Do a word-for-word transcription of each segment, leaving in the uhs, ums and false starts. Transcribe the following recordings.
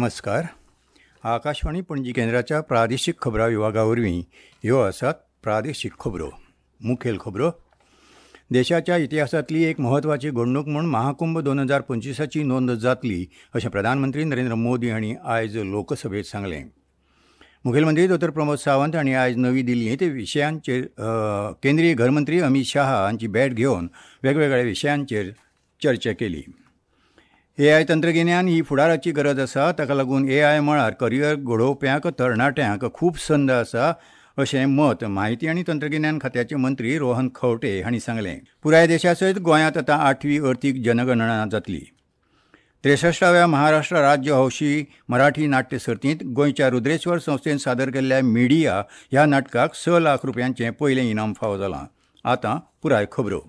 नमस्कार. आकाशवाणी पणजी केंद्राच्या प्रादेशीक खबरां विभागा वरवीं ह्यो आसात प्रादेशीक खबरो. मुखेल खबरो. देशाच्या इतिहासांतली एक म्हत्वाची घडणूक म्हूण महाकुंभ दोन हजार पंचवीसाची नोंद जातली अशें प्रधानमंत्री नरेंद्र मोदी हांणी आयज लोकसभेंत सांगलें. मुखेलमंत्री दोतोर प्रमोद सावंत हांणी आयज नवी दिल्लींत विशयांचेर केंद्रीय घरमंत्री अमीत शहा हांची भेट घेवन वेगवेगळ्या विशयांचेर चर्चा केली. ए I तंत्रगिन्यान ही फुडाराची गरज आसा, ताका लागून ए I मळार करियर घडोवप्यांक तरणाट्यांक खूब संद आसा अशें मत म्हायती आनी तंत्रगिन्यान खात्याचे मंत्री रोहन खंवटे हांणी सांगलें. पुराय देशा सयत गोंयांत आतां आठवी अर्थीक जनगणना जातली. त्रेसश्टाव्या महाराष्ट्र राज्य हौशी मराठी नाट्य सर्तींत गोंयच्या रुद्रेश्वर संस्थेन सादर केल्ल्या मिडिया ह्या नाटकाक स लाख रुपयांचें पयलें इनाम फावो जालां. आतां पुराय खबरो.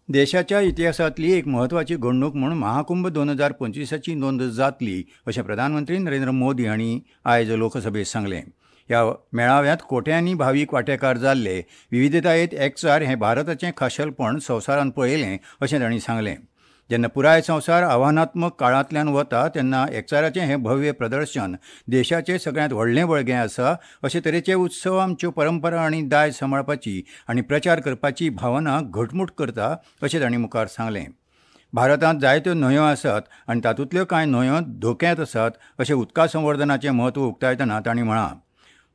देशाच्या इतिहासांतली एक म्हत्वाची घडणूक म्हूण महाकुंभ दोन हजार पंचवीसाची नोंद जातली अशें प्रधानमंत्री नरेंद्र मोदी हांणी आयज लोकसभेंत सांगलें. ह्या मेळाव्यांत कोट्यांनी भावीक वांटेकार जाल्ले. विविधतायेंत एकचार हें भारताचें खाशेलपण संवसारान पळयलें अशें तांणी सांगलें. जेन्ना पुराय संवसार आव्हानात्मक काळांतल्यान वता तेन्ना एकचाराचें हें भव्य प्रदर्शन देशाचें सगळ्यांत व्हडलें बळगें आसा. अशे तरेचे उत्सव आमच्यो परंपरा आनी दायज सांबाळपाची आनी प्रचार करपाची भावना घटमूट करता अशें तांणी मुखार सांगलें. भारतांत जायत्यो न्हंयो आसात आनी तातूंतल्यो कांय न्हंयो धोक्यांत आसात अशें उदका संवर्धनाचें म्हत्व उक्तायतना तांणी म्हळां.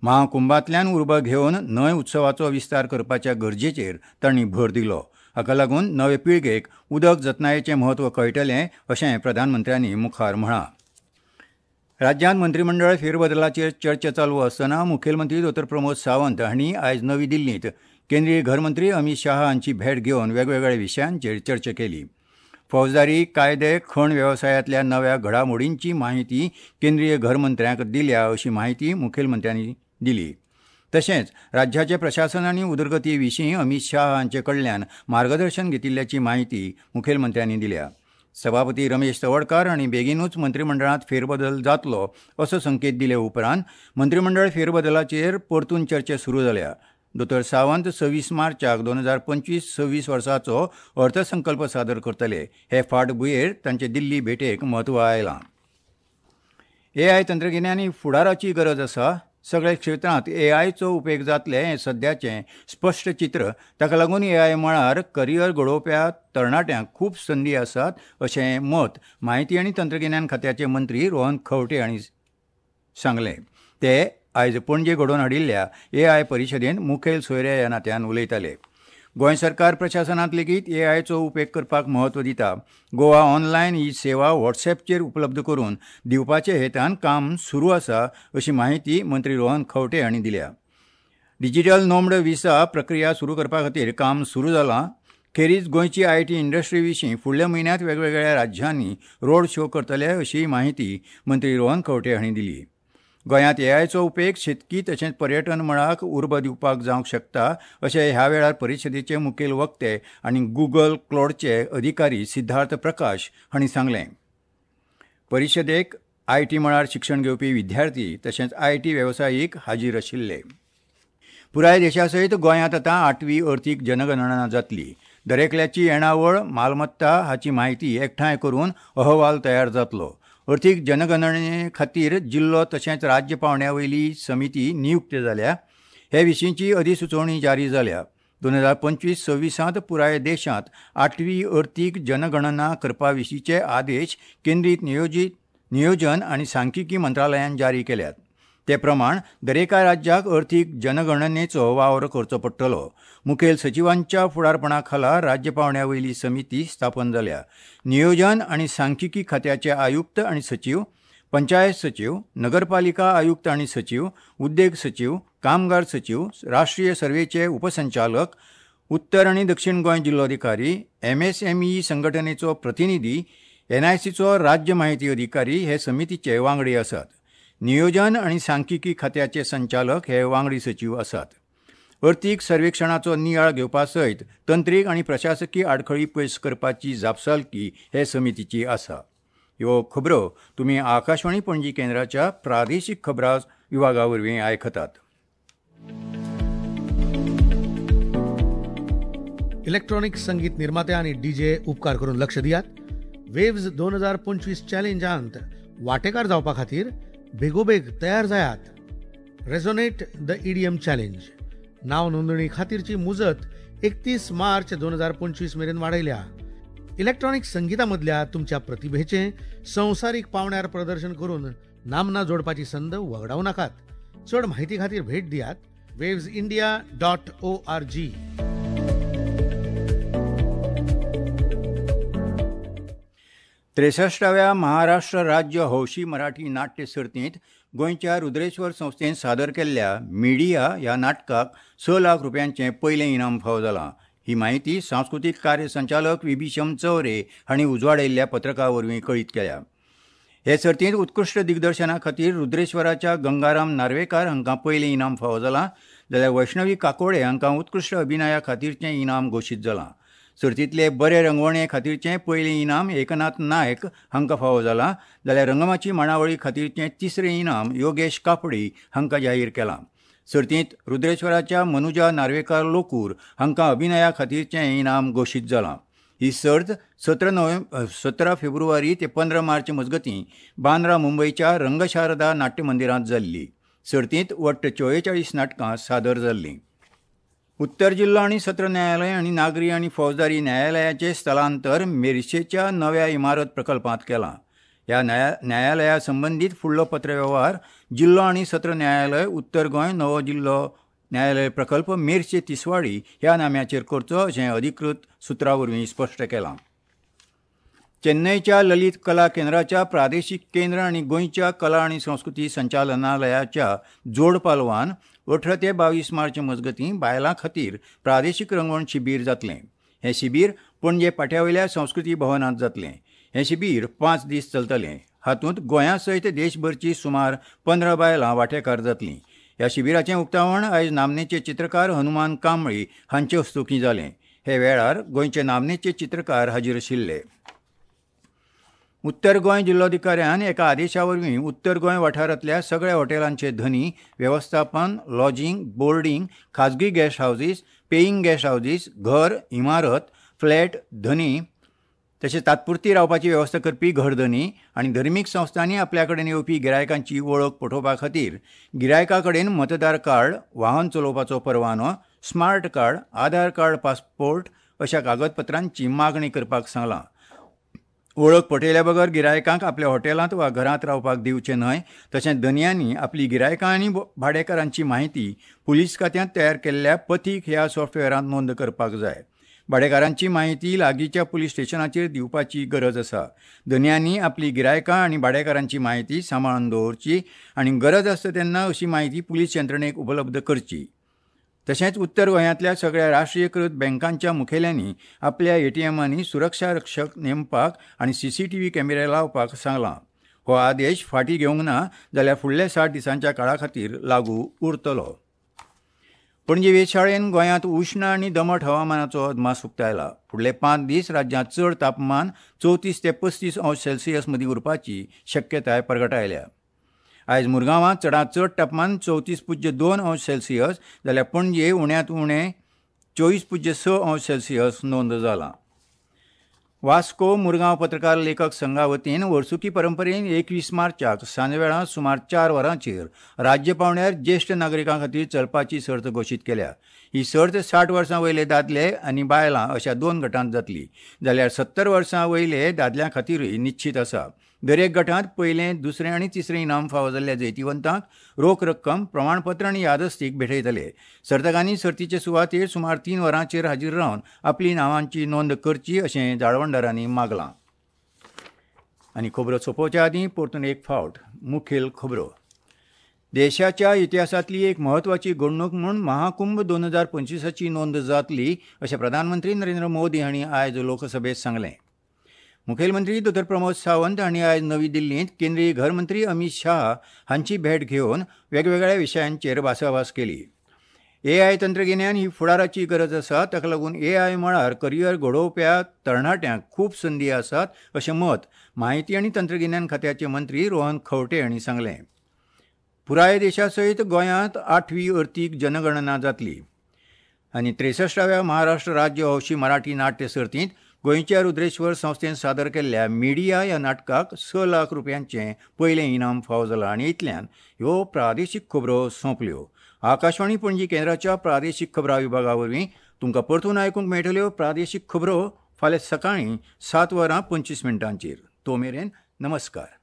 महाकुंभांतल्यान उर्बा घेवन न्हंय उत्सवाचो विस्तार करपाच्या गरजेचेर तांणी भर दिलो. हाका लागून नवे पिळगेक उदक जतनायेचें म्हत्व कळटलें अशें प्रधानमंत्र्यांनी मुखार म्हळां. राज्यांत मंत्रीमंडळ फेरबदलाचेर चर्चा चालू आसतना मुखेलमंत्री दोतोर प्रमोद सावंत हांणी आयज नवी दिल्लींत केंद्रीय घरमंत्री अमीत शहा हांची भेट घेवन वेगवेगळ्या विशयांचेर चर्चा केली. फौजदारी कायदे, खण वेवसायांतल्या नव्या घडामोडींची म्हायती केंद्रीय घरमंत्र्यांक दिल्या अशी म्हायती मुखेलमंत्र्यांनी दिली. तशेंच राज्याचे प्रशासन आनी उदरगती विशीं अमीत शहा हांचे कडल्यान मार्गदर्शन घेतिल्ल्याची म्हायती मुखेलमंत्र्यांनी दिल्या. सभापती रमेश तवडकार हांणी बेगीनूच मंत्रीमंडळांत फेरबदल जातलो असो संकेत दिले उपरांत मंत्रीमंडळ फेरबदलाचेर परतून चर्चा सुरू जाल्या. दोतोर सावंत सव्वीस मार्चाक दोन हजार पंचवीस सव्वीस वर्साचो अर्थसंकल्प सादर करतले. हे फाटभुंयेर तांचे दिल्ली भेटेक म्हत्व आयलां. ए I तंत्रगिन्यान ही फुडाराची गरज आसा. सगळ्या क्षेत्रांत ए आयचो उपेग जातले हें सद्याचें स्पश्ट चित्र. ताका लागून ए I मळार करियर घडोवप्या तरणाट्यांक खूब संदी आसात अशें मत म्हायती आनी तंत्रगिन्यान खात्याचे मंत्री रोहन खंवटे हांणी सांगलें. ते आयज पणजे घडोवन हाडिल्ल्या ए I परिशदेंत मुखेल सोयरे ह्या नात्यान उलयताले. गोंय सरकार प्रशासनांत लेगीत ए आयचो उपेग करपाक म्हत्व दिता. गोवा ऑनलायन ही सेवा व्हॉट्सॅपचेर उपलब्ध करून दिवपाचे हेतान काम सुरू आसा अशी म्हायती मंत्री रोहन खंवटे हांणी दिल्या. डिजिटल नोमड विसा प्रक्रिया सुरू करपा खातीर काम सुरू जालां. खेरीज गोंयची I T industry विशीं फुडल्या म्हयन्यांत वेगवेगळ्या राज्यांनी रोड शो करतले अशी म्हायती मंत्री रोहन खंवटे हांणी दिली. गोंयांत ए आयचो उपेग शेतकी तशेंच पर्यटन मळाक उर्बा दिवपाक जावंक शकता अशें ह्या वेळार परिशदेचे मुखेल वक्ते आनी गुगल क्लाउडचे अधिकारी सिद्धार्थ प्रकाश हांणी सांगलें. परिशदेक I T मळार शिक्षण घेवपी विद्यार्थी तशेंच I T वेवसायीक हाजीर आशिल्ले. पुराय देशा सयत गोंयांत आतां आठवी अर्थीक जनगणना जातली. दरेकल्याची येणावळ, मालमत्ता हाची म्हायती एकठांय करून अहवाल तयार जातलो. अर्थीक जनगणने खातीर जिल्लो तशेंच राज्य पावंड्या वयली समिती नियुक्त जाल्या. हे विशींची अधिसुचोवणी जारी जाल्या. दोन हजार पंचवीस सव्वीसांत पुराय देशांत आठवी अर्थीक जनगणना करपा विशींचे आदेश केंद्रीय नियोजीत नियोजन आनी सांख्यिकी मंत्रालयान जारी केल्यात. ते प्रमाण दरेका राज्याक अर्थीक जनगणनेचो वावर करचो पडटलो. मुखेल सचिवांच्या फुडारपणा खाला राज्य पावंड्या वयली समिती स्थापन जाल्या. नियोजन आनी सांख्यिकी खात्याचे आयुक्त आनी सचीव, पंचायत सचीव, नगरपालिका आयुक्त आनी सचीव, उद्देग सचीव, कामगार सचीव, राष्ट्रीय सर्वेचे उपसंचालक, उत्तर आनी दक्षिण गोंय जिल्लोधिकारी, एम एस एम ई संघटनेचो प्रतिनिधी, एन I सीचो राज्य म्हायती अधिकारी हे समितीचे वांगडी आसात. नियोजन आनी सांख्यिकी खात्याचे संचालक हे वांगडी सचीव आसात. अर्थीक सर्वेक्षणाचो नियाळ घेवपा सयत तंत्रीक आनी प्रशासकी आडखळी पयस करपाची जापसालकी हे समितीची आसा. ह्यो खबरो तुमी आकाशवाणी पणजी केंद्राच्या प्रादेशीक खबरां विभागा वरवीं आयकतात. इलेक्ट्रॉनिक संगीत निर्माते आनी डीजे उपकार करून लक्ष दियात. वेव्ज दोन हजार पंचवीस चॅलेंजांत वांटेकार जावपा खातीर बेगोबेग तयार जायात. Resonate the E D M challenge नाव नोंदणी खातीरची मुजत एकतीस मार्च दोन हजार पंचवीस मेरेन वाडयल्या. इलेक्ट्रॉनिक संगीता मदल्या तुमच्या प्रतिभेचें संवसारीक पावंड्यार प्रदर्शन करून नामना जोडपाची संद वगडावं नाकात. चड म्हायती खातीर भेट दियात waves India dot O R G. त्रेसश्टाव्या Maharashtra राज्य हौशी मराठी नाट्य सर्तींत गोंयच्या रुद्रेश्वर संस्थेन सादर केल्ल्या मिडिया ह्या नाटकाक स लाख रुपयांचें पयलें इनाम फावो जालां. ही म्हायती सांस्कृतीक कार्य संचालक विभीषम चौरे हांणी उजवाडायिल्ल्या पत्रका वरवीं कळीत केल्या. हे सर्तींत उत्कृश्ट दिग्दर्शना खातीर रुद्रेश्वराच्या गंगाराम नार्वेकार हांकां पयलें इनाम फावो जालां, जाल्यार वैष्णवी काकोडे हांकां उत्कृश्ट अभिनया खातीरचें इनाम घोशीत जालां. सर्तींतले बरे रंगवणे खातीरचें पयलें इनाम एकनाथ नायक हांकां फावो जालां, जाल्यार रंगमाची मांडावळी खातीरचें तिसरें इनाम योगेश कापडी हांकां जाहीर केलां. सर्तींत रुद्रेश्वराच्या मनुजा नार्वेकार लोकूर हांकां अभिनया खातीरचें इनाम घोशीत जालां. ही सर्त सतरा नोव्हेंबर सतरा फेब्रुवारी ते पंदरा मार्च मजगतीं बांद्रा मुंबयच्या रंगशारदा नाट्य मंदिरांत जाल्ली. सर्तींत वट्ट चोवेचाळीस नाटकां सादर जाल्लीं. उत्तर जिल्लो आनी सत्र न्यायालय आनी नागरी आनी फौजदारी न्यायालयाचें स्थलांतर मेरशेच्या नव्या इमारत प्रकल्पांत केलां. ह्या न्याया न्यायालया संबंदीत फुडलो पत्रवेव्हार जिल्लो आनी सत्र न्यायालय उत्तर गोंय नवो जिल्लो न्यायालय प्रकल्प मेरशे तिसवाडी ह्या नाम्याचेर करचो अशें अधिकृत सुत्रा वरवीं स्पश्ट केलां. चेन्नयच्या ललित कला केंद्राच्या प्रादेशीक केंद्र आनी गोंयच्या कला आनी संस्कृती संचालनालयाच्या जोड पालवान अठरा ते बावीस मार्च मजगतीं बायलां खातीर प्रादेशीक रंगवण शिबीर जातलें. हें शिबीर पणजे पाट्यावयल्या संस्कृती भवनांत जातलें. हें शिबीर पांच दीस चलतलें. हातूंत गोंया सयत देशभरची सुमार पंदरा बायलां वांटेकार जातलीं. ह्या शिबिराचें उक्तावण आयज नामनेचे चित्रकार हनुमान कांबळी हांचे हस्तुकीं जालें. हे वेळार गोंयचे नामनेचे चित्रकार हाजीर आशिल्ले. उत्तर गोंय जिल्लोधिकाऱ्यान एका आदेशा वरवीं उत्तर गोंय वाठारांतल्या सगळ्या हॉटेलांचे धनी, वेवस्थापन, लॉजिंग, बोर्डिंग, खाजगी guest houses, paying guest houses, घर, इमारत, फ्लॅट धनी तशेंच तात्पुरती रावपाची वेवस्था करपी घरधनी आनी धर्मीक संस्थांनी आपल्या कडेन येवपी गिरायकांची वळख पटोवपा खातीर गिरायका कडेन मतदार कार्ड, वाहन चलोवपाचो परवानो, smart card, Aadhaar card, passport अशा कागदपत्रांची मागणी करपाक सांगलां. वळख पटयल्या बगर गिरायकांक आपल्या हॉटेलांत वा घरांत रावपाक दिवचें न्हय. तशेंच धनयांनी आपली गिरायकां आनी भाडेकारांची म्हायती पुलीस खात्यांत तयार केल्ल्या पथीक ह्या सॉफ्टवेअरांत नोंद करपाक जाय. भाडेकारांची म्हायती लागींच्या पुलीस स्टेशनाचेर दिवपाची गरज आसा. धनयांनी आपली गिरायकां आनी भाडेकारांची म्हायती सांबाळून दवरची आनी गरज आसता तेन्ना अशी म्हायती पुलीस यंत्रणेक उपलब्ध करची. तशेंच उत्तर गोंयांतल्या सगळ्या राष्ट्रीयकृत बँकांच्या मुखेल्यांनी आपल्या एटीएमांनी सुरक्षा रक्षक नेमपाक आनी सीसीटीव्ही कॅमेरे लावपाक सांगलां. हो आदेश फाटीं घेवंक ना जाल्यार फुडल्या साठ दिसांच्या काळा खातीर लागू उरतलो. पणजे वेधशाळेन गोंयांत उश्ण आनी दमट हवामानाचो अदमास उक्तायला. फुडले पांच दीस राज्यांत चड तापमान चवतीस ते पस्तीस अंश सेल्सियस मदीं उरपाची शक्यताय परगटायल्या. आयज मुरगांवांत चडांत चड तापमान चवतीस पुज्य दोन अंश सेल्सियस जाल्यार पणजे उण्यांत उणें चोवीस पुज्य स अंश सेल्सियस नोंद जालां. वास्को मुरगांव पत्रकार लेखक संघा वतीन वर्सुकी परंपरेन एकवीस मार्चाक सांजवेळा सुमार चार वरांचेर राज्य पांवड्यार ज्येश्ठ नागरिकां खातीर चलपाची सर्त घोशीत केल्या. ही सर्त साठ वर्सां वयले दादले आनी बायलां अशा दोन गटांत जातली, जाल्यार सत्तर वर्सां वयले दादल्यां खातीरूय निश्चीत आसा. दरेक गटांत पयलें, दुसरें आनी तिसरें इनाम फावो जाल्ल्या जैतिवंतांक रोख रक्कम, प्रमाणपत्र आनी यादस्तीक भेटयतले. सर्तकांनी सर्तीचे सुवातेर सुमार तीन वरांचेर हाजीर रावन आपली नांवांची नोंद करची अशें जाळवणदारांनी मागलां. आनी खबरो सोंपोवच्या आदीं परतून एक फावट मुखेल खबरो. देशाच्या इतिहासांतली एक म्हत्वाची घडणूक म्हूण महाकुंभ दोन हजार पंचवीसाची नोंद जातली अशें प्रधानमंत्री नरेंद्र मोदी हांणी आयज लोकसभेंत सांगलें. मुखेलमंत्री दोतोर प्रमोद सावंत हांणी आयज नवी दिल्लींत केंद्रीय घरमंत्री अमीत शाह हांची भेट घेवन वेगवेगळ्या विशयांचेर भासाभास केली. एआय तंत्रगिन्यान ही फुडाराची गरज आसा, ताका लागून एआय मळार करियर घडोवप्या तरणाट्यांक खूब संदी आसात अशें मत म्हायती आनी तंत्रगिन्यान खात्याचे मंत्री रोहन खंवटे हांणी सांगलें. पुराय देशा सयत गोंयांत आठवी अर्थीक जनगणना जातली. आनी त्रेसश्टाव्या महाराष्ट्र राज्य हौशी मराठी नाट्य सर्तींत गोंयच्या रुद्रेश्वर संस्थेन सादर केल्ल्या मिडिया ह्या नाटकाक स लाख रुपयांचें पयलें इनाम फावो जालां. आनी इतल्यान ह्यो प्रादेशीक खबरो सोंपल्यो. आकाशवाणी पणजी केंद्राच्या प्रादेशीक खबरां विभागा वरवीं तुमकां परतून आयकूंक मेळटल्यो प्रादेशीक खबरो फाल्यां सकाळीं सात वरां पंचवीस मिनटांचेर. तो मेरेन नमस्कार.